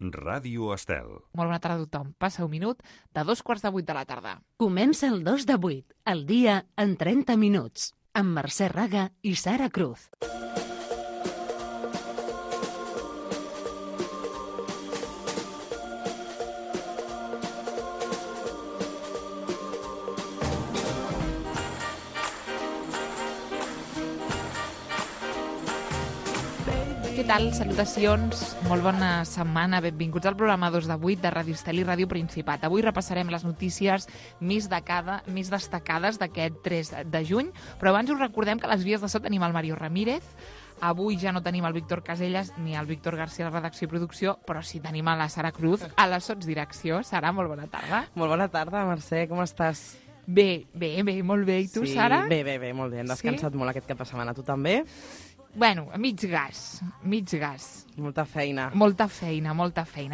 Ràdio Estel. Molt bona tarda a tothom. Passa un minut de 7:45 de la tarda. Comença el 2 de 8, el dia en 30 minuts, amb Mercè Raga i Sara Cruz. Què tal? Salutacions, molt bona setmana, benvinguts al programa 2 de 8 de Ràdio Estel i Ràdio Principat. Avui repassarem les notícies més destacades d'aquest 3 de juny, però abans us recordem que a les vies de so tenim el Mario Ramírez, avui ja no tenim el Víctor Casellas ni el Víctor García a la redacció i producció, però sí tenim a la Sara Cruz a la sotsdirecció. Sara, molt bona tarda. Molt bona tarda, Mercè, com estàs? Bé, molt bé. I tu, Sara? Bé, molt bé. Hem descansat molt aquest cap de setmana. Tu també? Bueno, mig gas. Molta feina. Molta feina.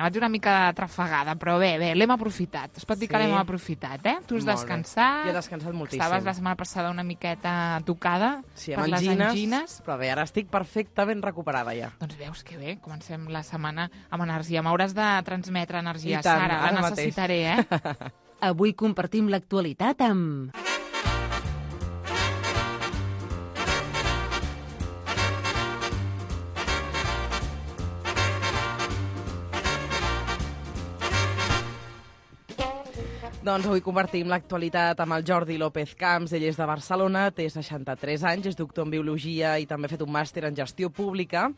Vaig una mica trafegada, però bé, l'hem aprofitat. Es pot dir que l'hem aprofitat, eh? Tu has descansat. Jo he descansat moltíssim. Estaves la setmana passada una miqueta tocada per les angines. Però bé, ara estic perfectament recuperada ja. Doncs veus que bé, comencem la setmana amb energia. M'hauràs de transmetre energia, I tant, Sara, la necessitaré, Avui compartim l'actualitat amb... Doncs avui compartim l'actualitat amb el Jordi López Camps. Ell és de Barcelona, té 63 anys, és doctor en Biologia i també ha fet un màster en Gestió Pública.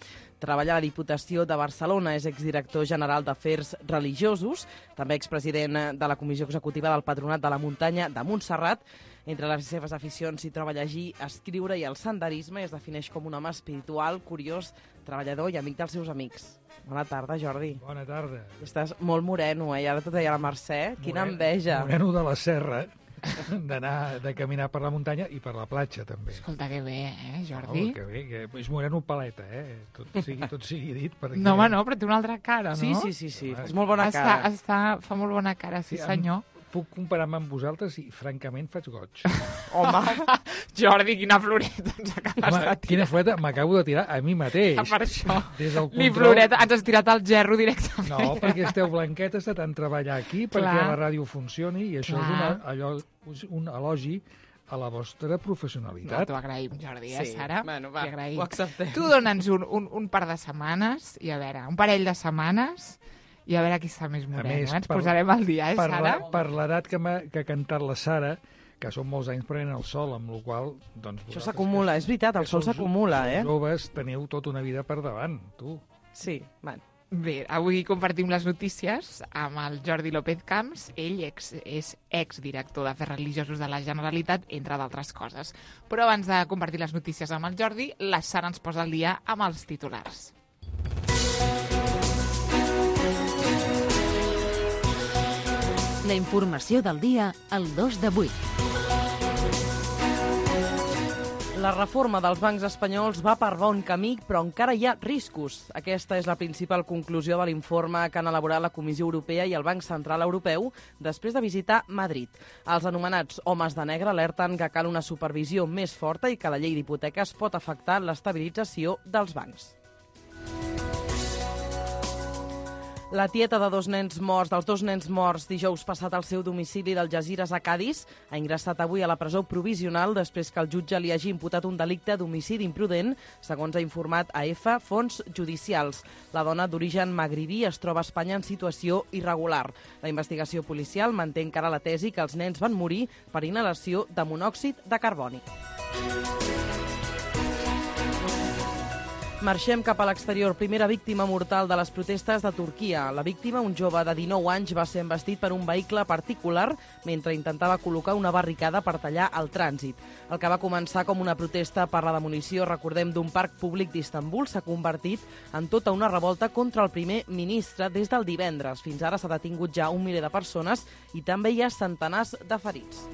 Treballa a la Diputació de Barcelona, és exdirector general d'Afers Religiosos, també expresident de la Comissió Executiva del Patronat de la Muntanya de Montserrat. Entre les seves aficions s'hi troba llegir, escriure i el senderisme, i es defineix com un home espiritual, curiós, treballador i amic dels seus amics. Bona tarda, Jordi. Bona tarda. Estàs molt moreno, I ara t'ho deia la Mercè. Quina enveja. Moreno de la serra, de caminar per la muntanya i per la platja, també. Escolta, que bé, Jordi? Que bé, que és moreno paleta, tot sigui dit. Perquè... No, home, no, però té una altra cara, no? Sí. És molt bona cara. Fa molt bona cara, sí senyor. Puc comparar-me amb vosaltres i, francament, faig goig. Home! Jordi, quina floreta ens acabes de tirar. Quina floreta m'acabo de tirar a mi mateix. Per això. Des del Ni floreta, ens has tirat al gerro directament. No, perquè esteu blanquetes de tant treballar aquí, perquè la ràdio funcioni, i això és un elogi a la vostra professionalitat. No, t'ho agraïm, Jordi, Sí. Sara? Bueno, va, agraïm. ho acceptem. Tu dona'ns un par de setmanes, i a veure, un parell de setmanes, i a veure qui està més moreno. Ens posarem al dia, Sara? Per l'edat que ha cantat la Sara, que són molts anys prenent el sol, amb la qual cosa... Doncs, això s'acumula, és veritat, el sol s'acumula, Els joves teniu tota una vida per davant, tu. Sí, bueno. Bé, avui compartim les notícies amb el Jordi López Camps. Ell és exdirector d'Afers Religiosos de la Generalitat, entre d'altres coses. Però abans de compartir les notícies amb el Jordi, la Sara ens posa al dia amb els titulars. La informació del dia al 2 de 8. La reforma dels bancs espanyols va per bon camí, però encara hi ha riscos. Aquesta és la principal conclusió de l'informe que han elaborat la Comissió Europea i el Banc Central Europeu després de visitar Madrid. Els anomenats homes de negre alerten que cal una supervisió més forta i que la llei d'hipoteques pot afectar l'estabilització dels bancs. La tieta dels dos nens morts dijous passat al seu domicili d'Algesires a Cadis ha ingressat avui a la presó provisional després que el jutge li hagi imputat un delicte d'homicidi imprudent, segons ha informat AEFA Fons Judicials. La dona d'origen magribí es troba a Espanya en situació irregular. La investigació policial manté encara la tesi que els nens van morir per inhalació de monòxid de carboni. Marxem cap a l'exterior. Primera víctima mortal de les protestes de Turquia. La víctima, un jove de 19 anys, va ser embestit per un vehicle particular mentre intentava col·locar una barricada per tallar el trànsit. El que va començar com una protesta per la demolició, recordem, d'un parc públic d'Istanbul, s'ha convertit en tota una revolta contra el primer ministre des del divendres. Fins ara s'ha detingut ja 1 miler de persones i també hi ha centenars de ferits.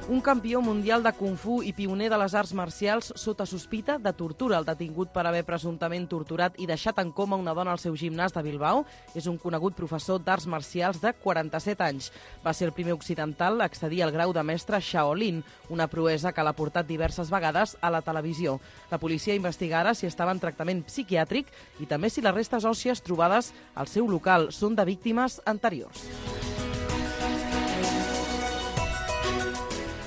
Un campió mundial de Kung Fu i pioner de les arts marcials sota sospita de tortura. El detingut per haver presumptament torturat i deixat en coma una dona al seu gimnàs de Bilbao és un conegut professor d'arts marcials de 47 anys. Va ser el primer occidental a accedir al grau de mestre Shaolin, una proesa que l'ha portat diverses vegades a la televisió. La policia investiga ara si estava en tractament psiquiàtric i també si les restes òssies trobades al seu local són de víctimes anteriors.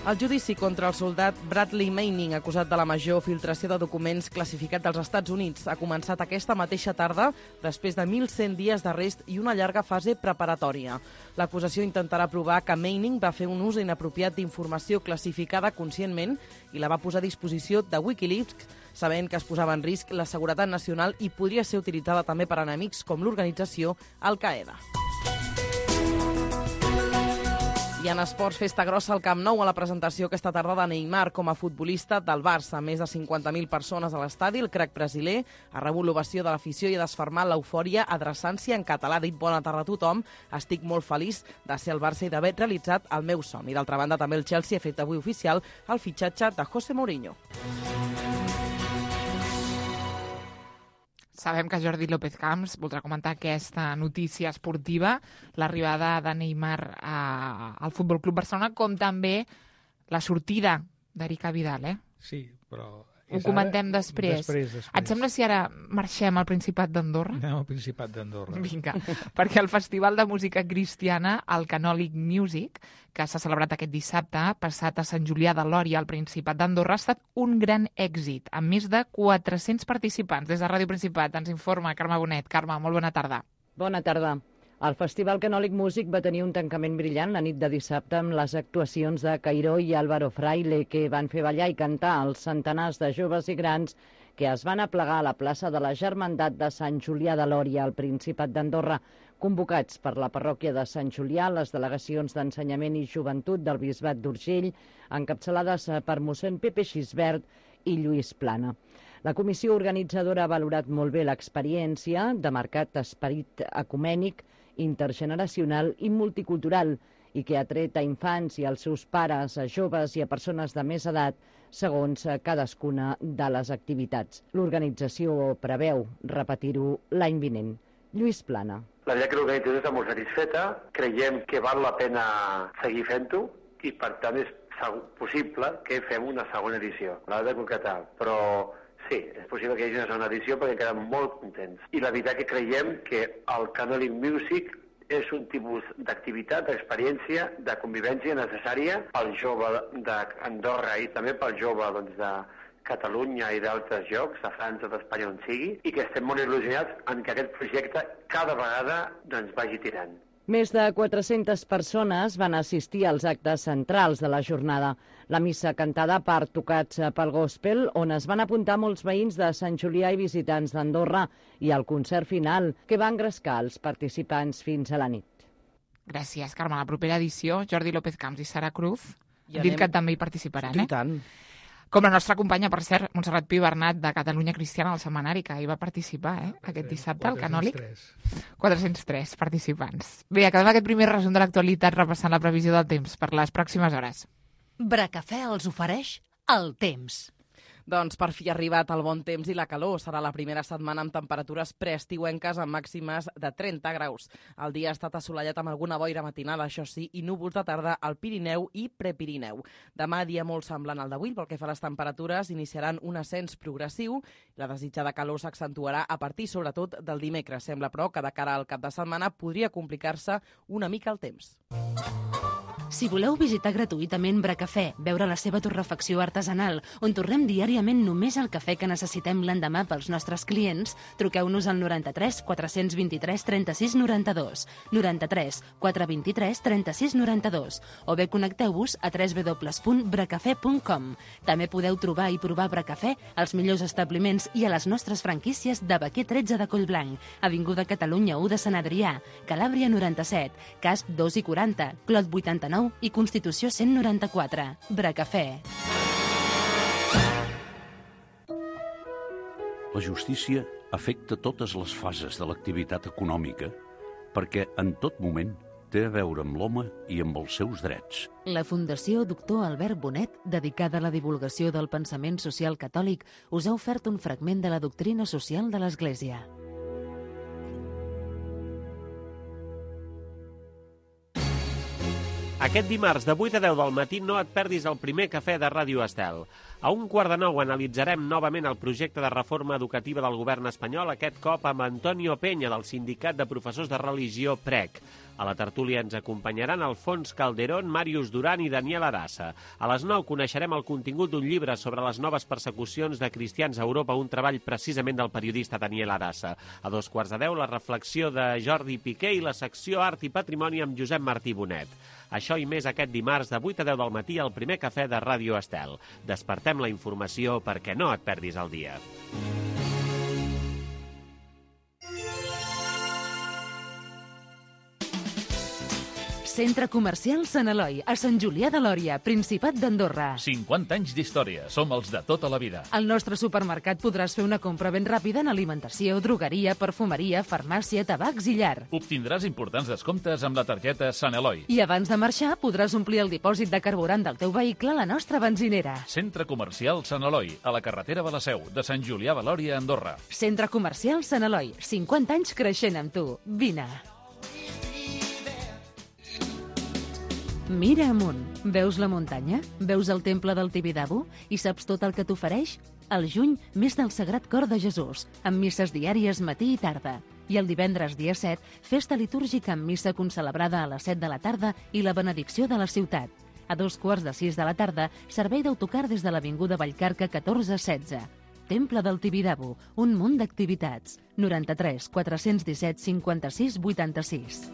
El judici contra el soldat Bradley Manning, acusat de la major filtració de documents classificats dels Estats Units, ha començat aquesta mateixa tarda després de 1.100 dies d'arrest i una llarga fase preparatòria. L'acusació intentarà provar que Manning va fer un ús inapropiat d'informació classificada conscientment i la va posar a disposició de Wikileaks, sabent que es posava en risc la seguretat nacional i podria ser utilitzada també per enemics com l'organització Al-Qaeda. I en esports, festa grossa al Camp Nou a la presentació aquesta tarda de Neymar com a futbolista del Barça. Més de 50.000 persones a l'estadi. El crac brasiler ha rebut l'ovació de l'afició i ha desfermat l'eufòria adreçant-s'hi en català. Ha dit bona tarda a tothom. Estic molt feliç de ser al Barça i d'haver realitzat el meu somni. D'altra banda, també el Chelsea ha fet avui oficial el fitxatge de José Mourinho. Sabem que Jordi López Camps voldrà comentar aquesta notícia esportiva, l'arribada de Neymar al Futbol Club Barcelona, com també la sortida d'Erica Vidal, Sí, però... Ho comentem després. Et sembla si ara marxem al Principat d'Andorra? Anem al Principat d'Andorra. Vinga, perquè el Festival de Música Cristiana, el Canòlic Music, que s'ha celebrat aquest dissabte, passat a Sant Julià de Lòria, al Principat d'Andorra, ha estat un gran èxit, amb més de 400 participants. Des de Ràdio Principat ens informa Carme Bonet. Carme, molt bona tarda. Bona tarda. El Festival Canòlic Music va tenir un tancament brillant la nit de dissabte amb les actuacions de Cairó i Álvaro Fraile, que van fer ballar i cantar els centenars de joves i grans que es van aplegar a la plaça de la Germandat de Sant Julià de Lòria, al Principat d'Andorra, convocats per la parròquia de Sant Julià, les delegacions d'Ensenyament i Joventut del Bisbat d'Urgell, encapçalades per mossèn Pepe Xisbert i Lluís Plana. La comissió organitzadora ha valorat molt bé l'experiència de marcat esperit ecumènic, intergeneracional i multicultural i que ha tret a infants i als seus pares, a joves i a persones de més edat segons cadascuna de les activitats. L'organització preveu repetir-ho l'any vinent. Lluís Plana. La veritat que l'organització està molt satisfeta, creiem que val la pena seguir fent-ho i per tant és possible que fem una segona edició. L'ha de concretar, però sí, és possible que hi hagi una segona edició perquè quedem molt contents. I la veritat que creiem que el Canòlic Music és un tipus d'activitat, d'experiència, de convivència necessària pel jove d'Andorra i també pel jove de Catalunya i d'altres llocs, de França, d'Espanya, on sigui, i que estem molt il·lusionats en que aquest projecte cada vegada vagi tirant. Més de 400 persones van assistir als actes centrals de la jornada. La missa cantada per tocats pel gospel, on es van apuntar molts veïns de Sant Julià i visitants d'Andorra, i el concert final, que va engrescar els participants fins a la nit. Gràcies, Carme. La propera edició, Jordi López Camps i Sara Cruz, dit que també hi participaran, I tant. Com la nostra companya, per cert, Montserrat Pi Bernat, de Catalunya Cristiana al Setmanari, que hi va participar aquest dissabte, al Canòlic. 403 participants. Bé, acabem aquest primer resum de l'actualitat repassant la previsió del temps per les pròximes hores. Bracafè els ofereix el temps. Doncs per fi ha arribat el bon temps i la calor. Serà la primera setmana amb temperatures preestiuenques amb màximes de 30 graus. El dia ha estat assolellat amb alguna boira matinal, això sí, i núvols de tarda al Pirineu i Prepirineu. Demà, dia molt semblant al d'avui, pel que fa a les temperatures, iniciaran un ascens progressiu. La desitjada calor s'accentuarà a partir, sobretot, del dimecres. Sembla, però, que de cara al cap de setmana podria complicar-se una mica el temps. Si voleu visitar gratuïtament Bracafè, veure la seva torrefacció artesanal, on torrem diàriament només el cafè que necessitem l'endemà pels nostres clients, truqueu-nos al 93 423 36 92, 93 423 36 92, o bé connecteu-vos a www.bracafè.com. També podeu trobar i provar Bracafè als millors establiments i a les nostres franquícies de Baquer 13 de Collblanc, Avinguda Catalunya 1 de Sant Adrià, Calàbria 97, Casp 2 i 40, Clot 89 i Constitució 194. Bracafè. La justícia afecta totes les fases de l'activitat econòmica perquè en tot moment té a veure amb l'home i amb els seus drets. La Fundació Doctor Albert Bonet, dedicada a la divulgació del pensament social catòlic, us ha ofert un fragment de la doctrina social de l'Església. Aquest dimarts de 8 a 10 del matí no et perdis el primer cafè de Ràdio Estel. A 1:15 analitzarem novament el projecte de reforma educativa del govern espanyol, aquest cop amb Antonio Peña, del Sindicat de Professors de Religió PREC. A la tertúlia ens acompanyaran Alfons Calderón, Màrius Duran i Daniel Arassa. A les 9 coneixerem el contingut d'un llibre sobre les noves persecucions de cristians a Europa, un treball precisament del periodista Daniel Arassa. A 2:15 la reflexió de Jordi Piqué i la secció Art i Patrimoni amb Josep Martí Bonet. Això i més aquest dimarts de 8 a 10 del matí al primer cafè de Ràdio Estel. Despertem la informació perquè no et perdis el dia. Centre Comercial Sant Eloi, a Sant Julià de Lòria, Principat d'Andorra. 50 anys d'història, som els de tota la vida. Al nostre supermercat podràs fer una compra ben ràpida en alimentació, drogueria, perfumeria, farmàcia, tabacs i llar. Obtindràs importants descomptes amb la targeta Sant Eloi. I abans de marxar podràs omplir el dipòsit de carburant del teu vehicle a la nostra benzinera. Centre Comercial Sant Eloi, a la carretera de la Seu, de Sant Julià de Lòria, Andorra. Centre Comercial Sant Eloi, 50 anys creixent amb tu. Vine. Mira amunt. Veus la muntanya? Veus el temple del Tibidabo? I saps tot el que t'ofereix? Al juny, mes del Sagrat Cor de Jesús, amb misses diàries matí i tarda. I el divendres, dia 7, festa litúrgica amb missa concelebrada a les 7 de la tarda i la benedicció de la ciutat. A 2:45 de la tarda, servei d'autocar des de l'Avinguda Vallcarca 1416. Temple del Tibidabo, un munt d'activitats. 93 417 56 86.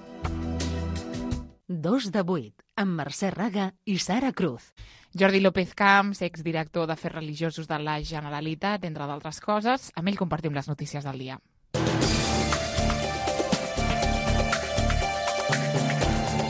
2 de 8, amb Mercè Raga i Sara Cruz. Jordi López Camps, exdirector d'Afers Religiosos de la Generalitat, entre d'altres coses. Amb ell compartim les notícies del dia.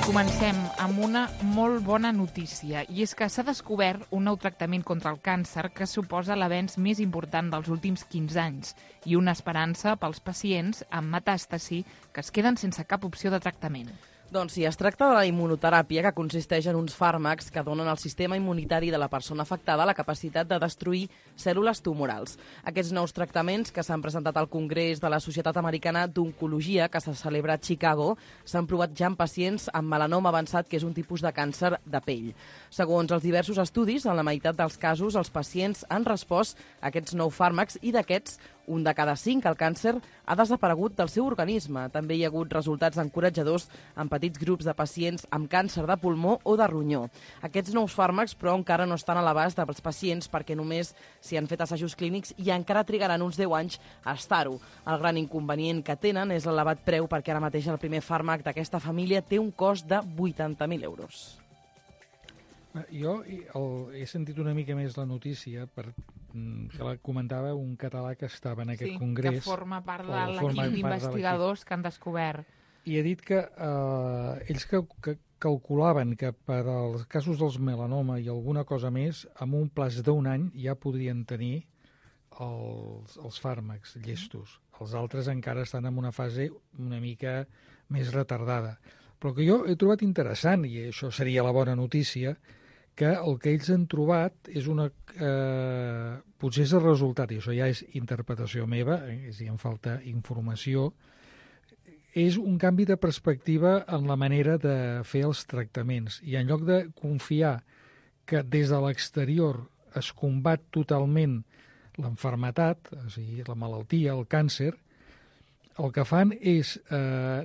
Comencem amb una molt bona notícia, i és que s'ha descobert un nou tractament contra el càncer que suposa l'avenç més important dels últims 15 anys i una esperança pels pacients amb metàstasi que es queden sense cap opció de tractament. Doncs sí, es tracta de la immunoteràpia, que consisteix en uns fàrmacs que donen al sistema immunitari de la persona afectada la capacitat de destruir cèl·lules tumorals. Aquests nous tractaments, que s'han presentat al Congrés de la Societat Americana d'Oncologia, que se celebra a Chicago, s'han provat ja en pacients amb melanoma avançat, que és un tipus de càncer de pell. Segons els diversos estudis, en la meitat dels casos, els pacients han respost a aquests nous fàrmacs i d'aquests, un de cada 5, el càncer ha desaparegut del seu organisme. També hi ha hagut resultats encoratjadors en petits grups de pacients amb càncer de pulmó o de ronyó. Aquests nous fàrmacs, però, encara no estan a l'abast dels pacients perquè només s'hi han fet assajos clínics i encara trigaran uns 10 anys a estar-ho. El gran inconvenient que tenen és l'elevat preu, perquè ara mateix el primer fàrmac d'aquesta família té un cost de 80.000 euros. Jo he sentit una mica més la notícia que la comentava un català que estava en aquest congrés. Que forma part de l'equip d'investigadors que han descobert. I ha dit que ells que calculaven que per als casos dels melanoma i alguna cosa més, amb un plaç d'un any ja podrien tenir els fàrmacs llestos. Els altres encara estan en una fase una mica més retardada. Però el que jo he trobat interessant, i això seria la bona notícia, que el que ells han trobat és potser és el resultat, i això ja és interpretació meva, si em falta informació, és un canvi de perspectiva en la manera de fer els tractaments. I en lloc de confiar que des de l'exterior es combat totalment l'enfermetat, o sigui, la malaltia, el càncer, el que fan és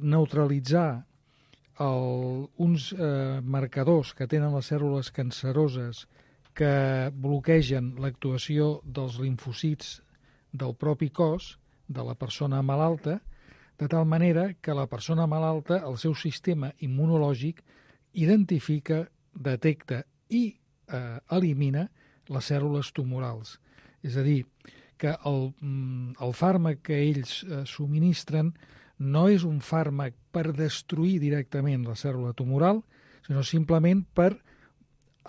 neutralitzar uns marcadors que tenen les cèl·lules canceroses que bloquegen l'actuació dels limfocits del propi cos de la persona malalta, de tal manera que la persona malalta, el seu sistema immunològic, identifica, detecta i elimina les cèl·lules tumorals. És a dir, que el fàrmac que ells subministren no és un fàrmac per destruir directament la cèl·lula tumoral, sinó simplement per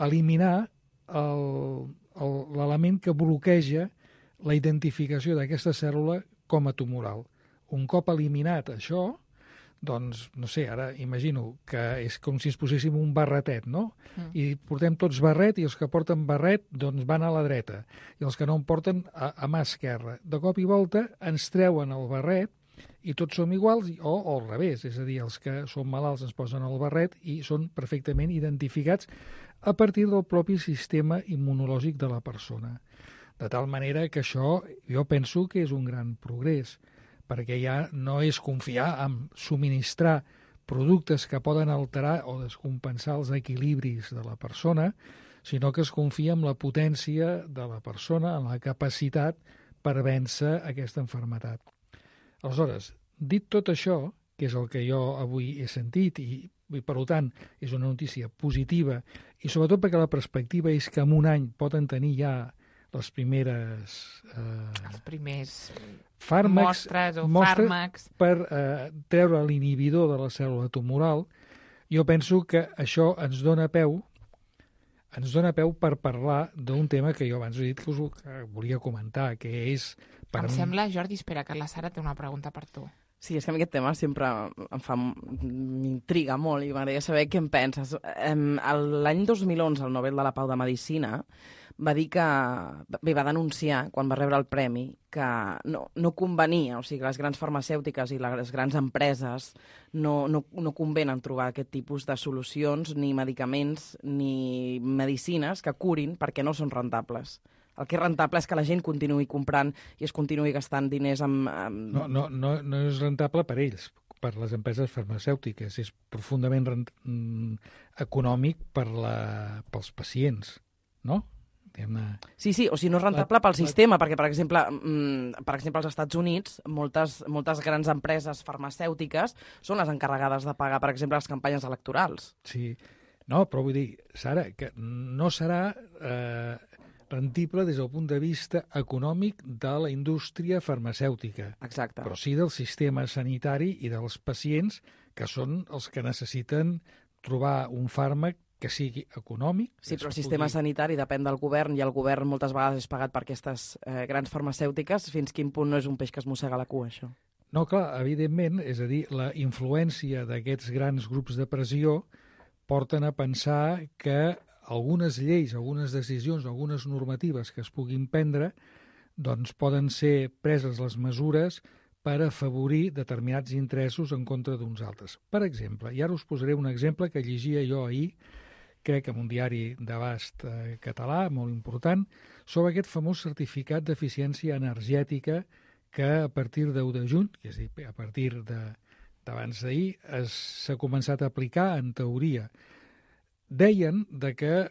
eliminar l'element que bloqueja la identificació d'aquesta cèl·lula com a tumoral. Un cop eliminat això, Doncs, no sé, ara imagino que és com si ens poséssim un barretet, no? I portem tots barret i els que porten barret doncs van a la dreta i els que no en porten a mà esquerra. De cop i volta ens treuen el barret i tots som iguals o al revés, és a dir, els que són malalts ens posen el barret i són perfectament identificats a partir del propi sistema immunològic de la persona. De tal manera que això jo penso que és un gran progrés, perquè ja no és confiar en subministrar productes que poden alterar o descompensar els equilibris de la persona, sinó que es confia en la potència de la persona, en la capacitat per vèncer aquesta malaltia. Aleshores, dit tot això, que és el que jo avui he sentit i per tant és una notícia positiva i sobretot perquè la perspectiva és que en un any poden tenir ja les primeres els primers mostres fàrmacs per treure l'inhibidor de la cèl·lula tumoral. Jo penso que això ens dona peu per parlar d'un tema que jo abans he dit que volia comentar, que és... Em sembla, Jordi, espera, que la Sara té una pregunta per tu. Sí, és que a mi aquest tema sempre m'intriga molt i m'agradaria saber què en penses. L'any 2011, el Nobel de la Pau de Medicina va dir que, va denunciar, quan va rebre el premi, que no convenia, o sigui, que les grans farmacèutiques i les grans empreses no convenen trobar aquest tipus de solucions, ni medicaments, ni medicines que curin perquè no són rentables. El que és rentable és que la gent continuï comprant i es continuï gastant diners amb... No és rentable per ells, per les empreses farmacèutiques. És profundament econòmic pels pacients, no? Sí, o sigui, no és rentable pel sistema, perquè, per exemple, als Estats Units, moltes grans empreses farmacèutiques són les encarregades de pagar, per exemple, les campanyes electorals. Sí, no, però vull dir, Sara, que no serà rendible des del punt de vista econòmic de la indústria farmacèutica. Exacte. Però sí del sistema sanitari i dels pacients, que són els que necessiten trobar un fàrmac que sigui econòmic. Sí, però el sistema sanitari depèn del govern i el govern moltes vegades és pagat per aquestes grans farmacèutiques. Fins quin punt no és un peix que es mossega la cua, això? No, clar, evidentment, és a dir, la influència d'aquests grans grups de pressió porten a pensar que algunes lleis, algunes decisions, algunes normatives que es puguin prendre, doncs poden ser preses les mesures per afavorir determinats interessos en contra d'uns altres. Per exemple, i ara us posaré un exemple que llegia jo ahir, crec que en un diari d'abast català, molt important, sobre aquest famós certificat d'eficiència energètica que a partir d'1 de juny, és a dir, a partir d'abans d'ahir, s'ha començat a aplicar en teoria. Deien que,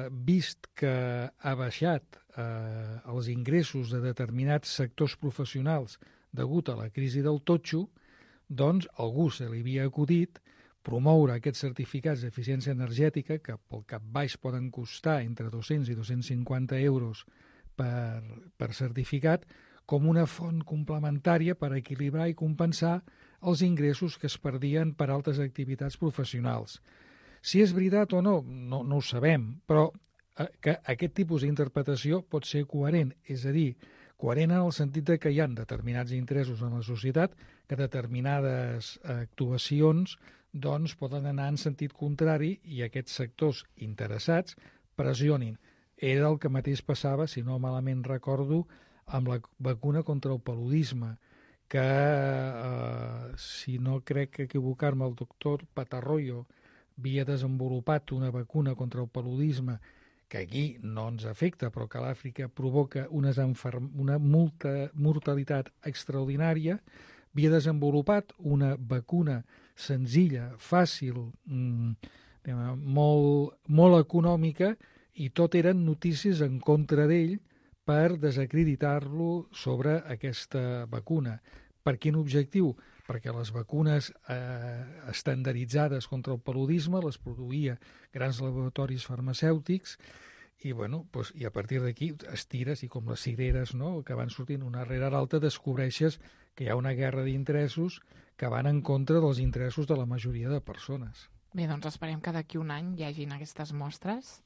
vist que ha baixat els ingressos de determinats sectors professionals degut a la crisi del totxo, doncs algú se li havia acudit promoure aquests certificats d'eficiència energètica, que pel cap baix poden costar entre 200 i 250 euros per certificat, com una font complementària per equilibrar i compensar els ingressos que es perdien per altres activitats professionals. Si és veritat o no ho sabem, però que aquest tipus d'interpretació pot ser coherent, és a dir, coherent en el sentit que hi ha determinats interessos en la societat que determinades actuacions doncs poden anar en sentit contrari i aquests sectors interessats pressionin. Era el que mateix passava, si no malament recordo, amb la vacuna contra el paludisme, que, si no crec equivocar-me, el doctor Patarroyo havia desenvolupat una vacuna contra el paludisme que aquí no ens afecta, però que a l'Àfrica provoca una mortalitat extraordinària, havia desenvolupat una vacuna senzilla, fàcil, molt econòmica, i tot eren notícies en contra d'ell per desacreditar-lo sobre aquesta vacuna. Per quin objectiu? Perquè les vacunes estandarditzades contra el paludisme les produïa grans laboratoris farmacèutics i, i a partir d'aquí estires i com les cireres, no?, que van sortint una rere l'altra, descobreixes que hi ha una guerra d'interessos que van en contra dels interessos de la majoria de persones. Bé, doncs esperem que d'aquí un any hi hagin aquestes mostres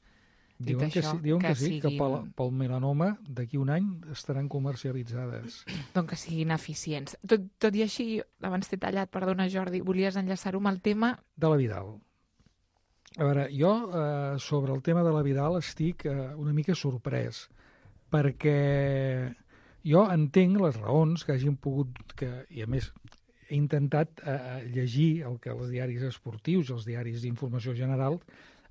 Diuen que sí, que pel melanoma d'aquí un any estaran comercialitzades. Doncs que siguin eficients. Tot i així, abans t'he tallat, perdona Jordi, volies enllaçar-ho amb el tema... De la Vidal. A veure, jo sobre el tema de la Vidal estic una mica sorprès, perquè jo entenc les raons que hagin pogut... I a més, he intentat llegir el que els diaris esportius, els diaris d'informació general,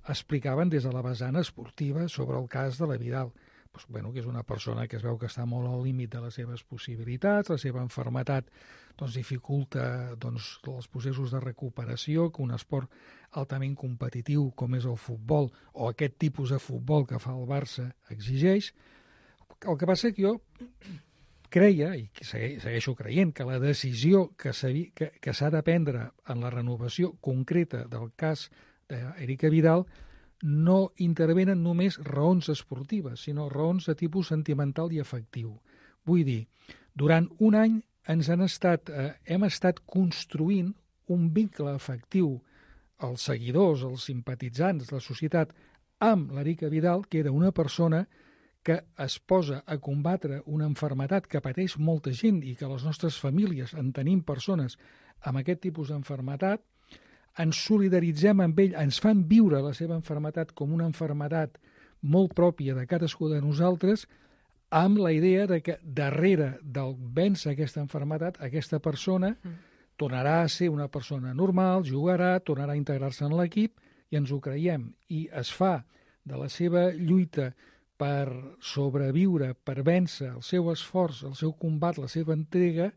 explicaven des de la vessant esportiva sobre el cas de la Vidal. Pues, bueno, que és una persona que es veu que està molt al límit de les seves possibilitats, la seva malaltia dificulta els processos de recuperació, que un esport altament competitiu com és el futbol, o aquest tipus de futbol que fa el Barça, exigeix. El que passa que jo creia, i segueixo creient, que la decisió que s'ha de prendre en la renovació concreta del cas d'Erika Vidal no intervenen només raons esportives, sinó raons de tipus sentimental i afectiu. Vull dir, durant un any hem estat construint un vincle afectiu als seguidors, als simpatitzants, la societat, amb l'Erika Vidal, que era una persona que es posa a combatre una malaltia que pateix molta gent i que les nostres famílies en tenim persones amb aquest tipus d'malaltia, ens solidaritzem amb ell, ens fan viure la seva malaltia com una malaltia molt pròpia de cadascú de nosaltres, amb la idea de que darrere del vèncer aquesta malaltia, aquesta persona tornarà a ser una persona normal, jugarà, tornarà a integrar-se en l'equip, i ens ho creiem. I es fa de la seva lluita per sobreviure, per vèncer el seu esforç, el seu combat, la seva entrega,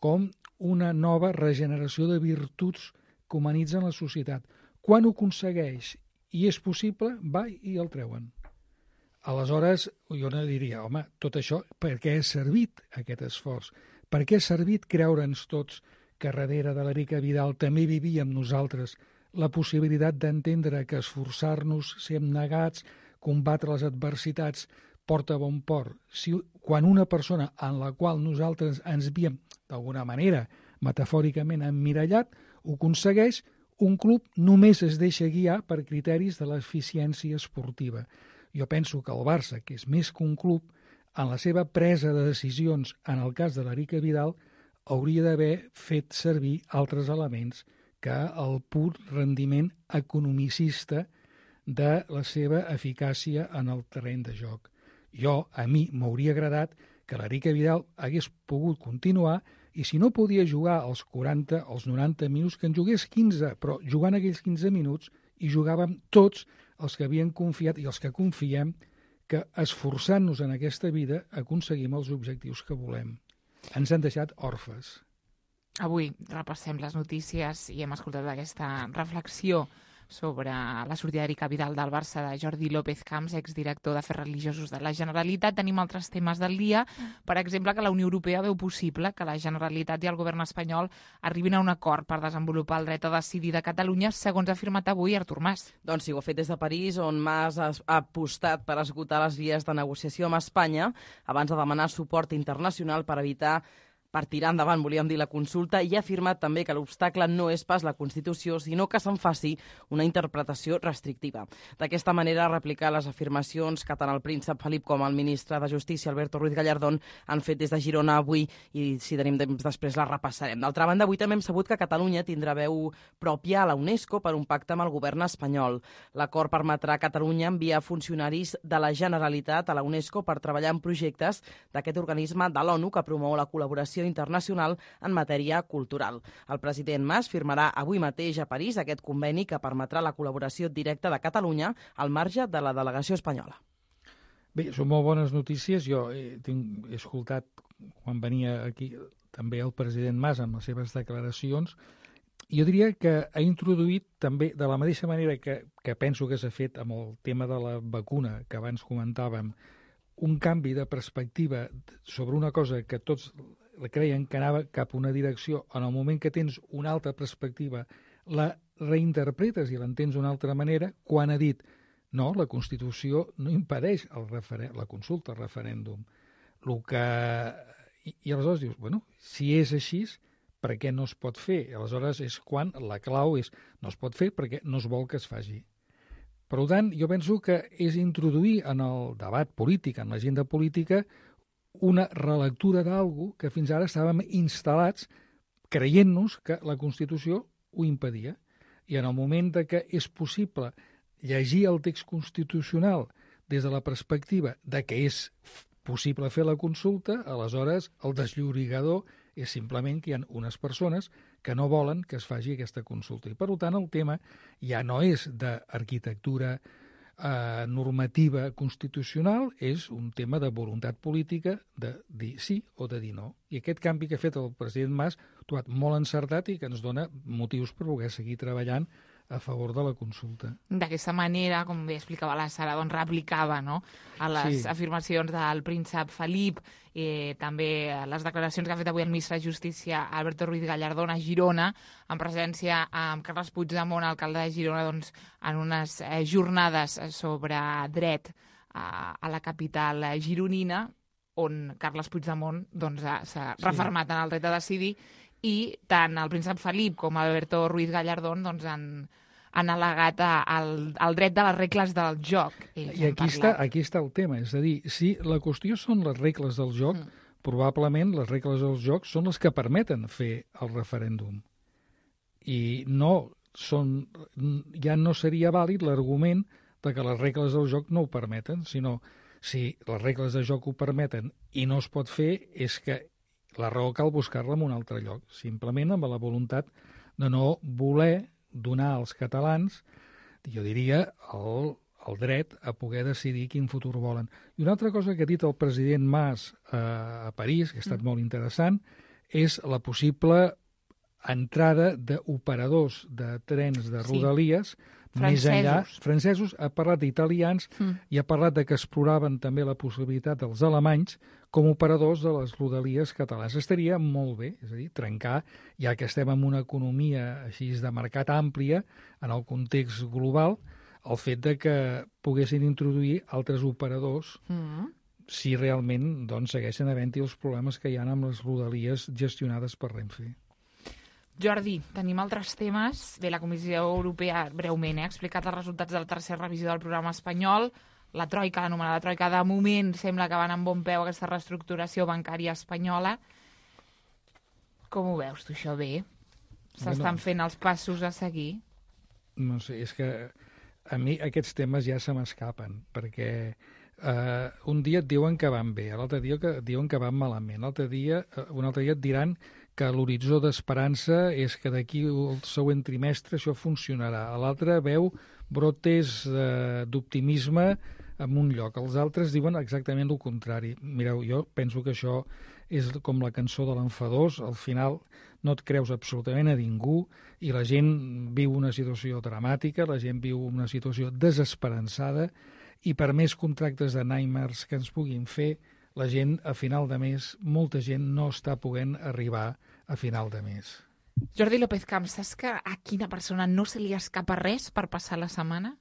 com una nova regeneració de virtuts que humanitzen la societat. Quan ho aconsegueix i és possible, va i el treuen. Aleshores, jo no diria, home, tot això, per què ha servit aquest esforç? Per què ha servit creure'ns tots que darrere de l'Erika Vidal també vivíem nosaltres la possibilitat d'entendre que esforçar-nos, ser abnegats, combatre les adversitats, porta a bon port? Si quan una persona en la qual nosaltres ens havíem, d'alguna manera, metafòricament emmirallat, ho aconsegueix, un club només es deixa guiar per criteris de l'eficiència esportiva. Jo penso que el Barça, que és més que un club, en la seva presa de decisions en el cas de l'Erika Vidal, hauria d'haver fet servir altres elements que el pur rendiment economicista de la seva eficàcia en el terreny de joc. A mi m'hauria agradat que l'Erika Vidal hagués pogut continuar, i si no podia jugar els 40, els 90 minuts, que en jugués 15, però jugant aquells 15 minuts hi jugàvem tots els que havien confiat i els que confiem que esforçant-nos en aquesta vida aconseguim els objectius que volem. Ens han deixat orfes. Avui repassem les notícies i hem escoltat aquesta reflexió sobre la sortida d'Erika Vidal del Barça de Jordi López Camps, exdirector d'Afers Religiosos de la Generalitat. Tenim altres temes del dia, per exemple, que la Unió Europea veu possible que la Generalitat i el govern espanyol arribin a un acord per desenvolupar el dret a decidir de Catalunya, segons ha afirmat avui Artur Mas. Doncs sí, ho ha fet des de París, on Mas ha apostat per esgotar les vies de negociació amb Espanya abans de demanar suport internacional per tirar endavant, volíem dir, la consulta, i ha afirmat també que l'obstacle no és pas la Constitució, sinó que se'n faci una interpretació restrictiva. D'aquesta manera, replicar les afirmacions que tant el príncep Felip com el ministre de Justícia, Alberto Ruiz Gallardón, han fet des de Girona avui, i si tenim temps després la repassarem. D'altra banda, avui també hem sabut que Catalunya tindrà veu pròpia a la UNESCO per un pacte amb el govern espanyol. L'acord permetrà a Catalunya enviar funcionaris de la Generalitat a la UNESCO per treballar en projectes d'aquest organisme de l'ONU que promou la col·laboració internacional en matèria cultural. El president Mas firmarà avui mateix a París aquest conveni que permetrà la col·laboració directa de Catalunya al marge de la delegació espanyola. Bé, són molt bones notícies. Jo he escoltat, quan venia aquí, també el president Mas amb les seves declaracions. Jo diria que ha introduït també, de la mateixa manera que penso que s'ha fet amb el tema de la vacuna que abans comentàvem, un canvi de perspectiva sobre una cosa que tots creien que anava cap a una direcció. En el moment que tens una altra perspectiva, la reinterpretes i l'entens d'una altra manera, quan ha dit no, la Constitució no impedeix la consulta, el referèndum. I aleshores dius, bueno, si és així, per què no es pot fer? Aleshores és quan la clau és no es pot fer perquè no es vol que es faci. Per tant, jo penso que és introduir en el debat polític, en l'agenda política, una relectura d'algú que fins ara estàvem instal·lats creient-nos que la Constitució ho impedia. I en el moment que és possible llegir el text constitucional des de la perspectiva de que és possible fer la consulta, aleshores el desllorigador és simplement que hi ha unes persones que no volen que es faci aquesta consulta. I per tant el tema ja no és d'arquitectura normativa constitucional, és un tema de voluntat política de dir sí o de dir no. I aquest canvi que ha fet el president Mas ha trobat molt encertat i que ens dona motius per poder seguir treballant a favor de la consulta. D'aquesta manera, com bé explicava la Sara, doncs replicava, no?, a les afirmacions del príncep Felip, també les declaracions que ha fet avui el ministre de Justícia, Alberto Ruiz Gallardón, a Girona, en presència amb Carles Puigdemont, alcalde de Girona, doncs, en unes jornades sobre dret a la capital gironina, on Carles Puigdemont doncs, s'ha refermat en el dret a decidir, i tant el príncep Felip com Alberto Ruiz Gallardón doncs, han al·legat el dret de les regles del joc. I aquí està el tema, és a dir, si la qüestió són les regles del joc, probablement les regles del joc són les que permeten fer el referèndum. I ja no seria vàlid l'argument de que les regles del joc no ho permeten, sinó si les regles del joc ho permeten i no es pot fer, és que la raó cal buscar-la en un altre lloc, simplement amb la voluntat de no voler donar als catalans, jo diria, el dret a poder decidir quin futur volen. I una altra cosa que ha dit el president Mas a París, que ha estat molt interessant, és la possible entrada d'operadors de trens de rodalies més enllà. Francesos, ha parlat d'italians i ha parlat de que exploraven també la possibilitat dels alemanys com operadors de les rodalies catalanes. Estaria molt bé, és a dir, trencar, ja que estem en una economia així de mercat àmplia, en el context global, el fet de que poguessin introduir altres operadors si realment doncs, segueixen havent-hi els problemes que hi ha amb les rodalies gestionades per Renfe. Jordi, tenim altres temes. Bé, la Comissió Europea, breument, ha explicat els resultats de la tercera revisió del programa espanyol. La troika, l'anomenada troika, de moment sembla que van amb bon peu aquesta reestructuració bancària espanyola. Com ho veus, tu, això bé? S'estan fent els passos a seguir? No sé, és que a mi aquests temes ja se m'escapen, perquè un dia et diuen que van bé, l'altre dia que diuen que van malament, un altre dia et diran que l'horitzó d'esperança és que d'aquí el següent trimestre això funcionarà. L'altre veu brotes d'optimisme en un lloc. Els altres diuen exactament el contrari. Mireu, jo penso que això és com la cançó de l'enfadós. Al final no et creus absolutament a ningú i la gent viu una situació dramàtica, la gent viu una situació desesperançada i per més contractes de nightmares que ens puguin fer, la gent a final de mes, molta gent no està podent arribar a final de mes. Jordi López Camps, saps que a quina persona no se li escapa res per passar la setmana?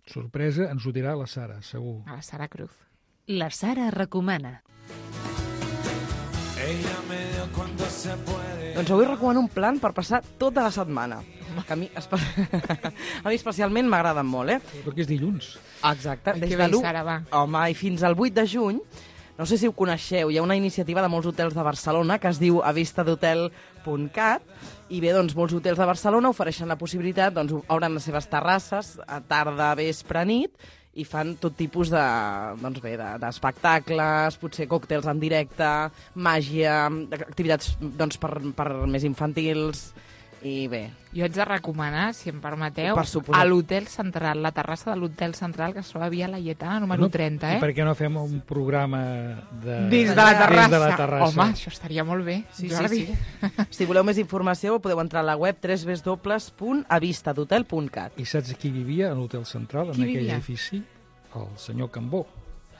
Sorpresa, ens ho dirà la Sara, segur. A la Sara Cruz. La Sara recomana. Doncs avui recomano un plan per passar tota la setmana. Que a mi especialment m'agraden molt, Perquè és dilluns. Exacte. Des de Sara, va. Home, i fins al 8 de juny, no sé si ho coneixeu, hi ha una iniciativa de molts hotels de Barcelona que es diu avistadotel.cat i bé, doncs, molts hotels de Barcelona ofereixen la possibilitat, doncs, obren les seves terrasses a tarda, vespre, nit i fan tot tipus d'espectacles, potser còctels en directe, màgia, activitats doncs, per més infantils. I bé. Jo haig de recomanar, si em permeteu, a l'Hotel Central, la terrassa de l'Hotel Central, que es troba a Via Laietana, número 30, I per què no fem un programa dins de la terrassa? Home, això estaria molt bé, Jordi. Si voleu més informació, podeu entrar a la web www.avistadotel.cat. I saps qui vivia a l'Hotel Central, en aquell edifici? El senyor Cambó.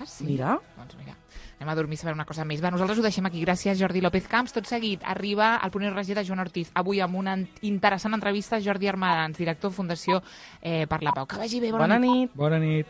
Ah, sí? Mira. Doncs mira, anem a dormir a saber una cosa més. Va, nosaltres ho deixem aquí. Gràcies, Jordi López Camps. Tot seguit arriba el Punt i Regió de Joan Ortiz. Avui amb una interessant entrevista a Jordi Armadans, director de Fundació per la Pau. Que vagi bé, bona nit. Bona nit.